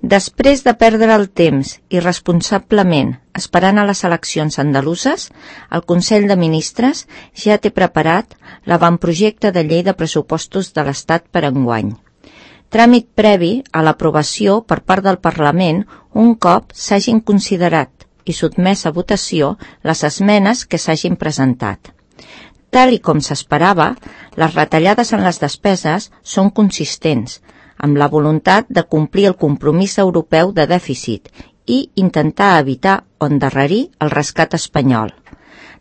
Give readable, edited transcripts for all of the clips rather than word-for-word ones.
Després de perdre el temps irresponsablement esperant a les eleccions andaluses, el Consell de Ministres ja té preparat l'avantprojecte de llei de pressupostos de l'Estat per enguany. Tràmit previ a l'aprovació per part del Parlament un cop s'hagin considerat i sotmès a votació les esmenes que s'hagin presentat. Tal i com s'esperava, les retallades en les despeses són consistents, amb la voluntat de complir el compromís europeu de dèficit i intentar evitar o endarrerir el rescat espanyol.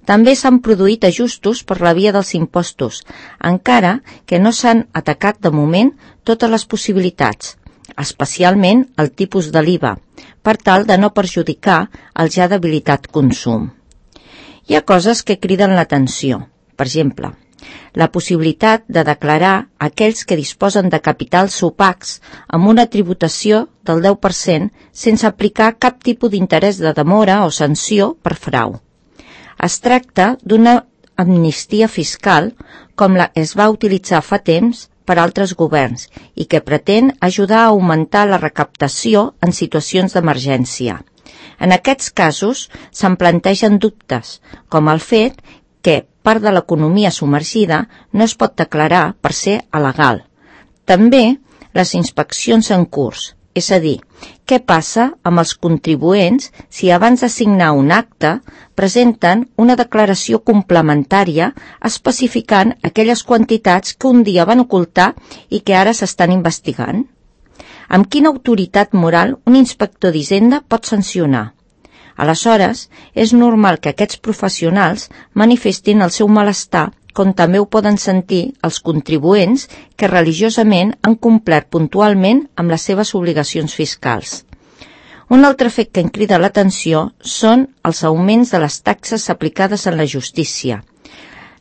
També s'han produït ajustos per la via dels impostos, encara que no s'han atacat de moment totes les possibilitats, especialment el tipus de l'IVA, per tal de no perjudicar el ja debilitat consum. Hi ha coses que criden l'atenció. Per exemple, la possibilitat de declarar aquells que disposen de capitals opacs amb una tributació del 10% sense aplicar cap tipus d'interès de demora o sanció per frau. Es tracta d'una amnistia fiscal com la es va utilitzar fa temps per altres governs i que pretén ajudar a augmentar la recaptació en situacions d'emergència. En aquests casos se'n plantegen dubtes, com el fet que part de l'economia submergida no es pot declarar per ser il·legal. També les inspeccions en curs, és a dir, què passa amb els contribuents si abans de signar un acte presenten una declaració complementària especificant aquelles quantitats que un dia van ocultar i que ara s'estan investigant? Amb quina autoritat moral un inspector d'Hisenda pot sancionar? Aleshores, és normal que aquests professionals manifestin el seu malestar, com també ho poden sentir els contribuents que religiosament han complert puntualment amb les seves obligacions fiscals. Un altre fet que em crida l'atenció són els augments de les taxes aplicades en la justícia.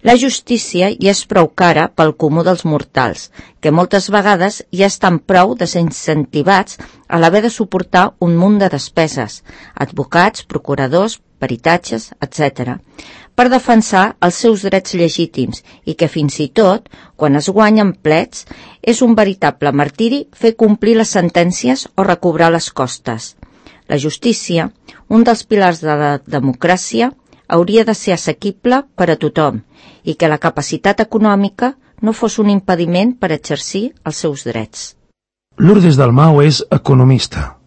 La justícia ja és prou cara pel comú dels mortals, que moltes vegades ja estan prou desincentivats a l'haver de suportar un munt de despeses, advocats, procuradors, peritatges, etc., per defensar els seus drets legítims i que fins i tot, quan es guanyen plets, és un veritable martiri fer complir les sentències o recobrar les costes. La justícia, un dels pilars de la democràcia, hauria de ser assequible per a tothom i que la capacitat econòmica no fos un impediment per exercir els seus drets. Lourdes Dalmau és economista.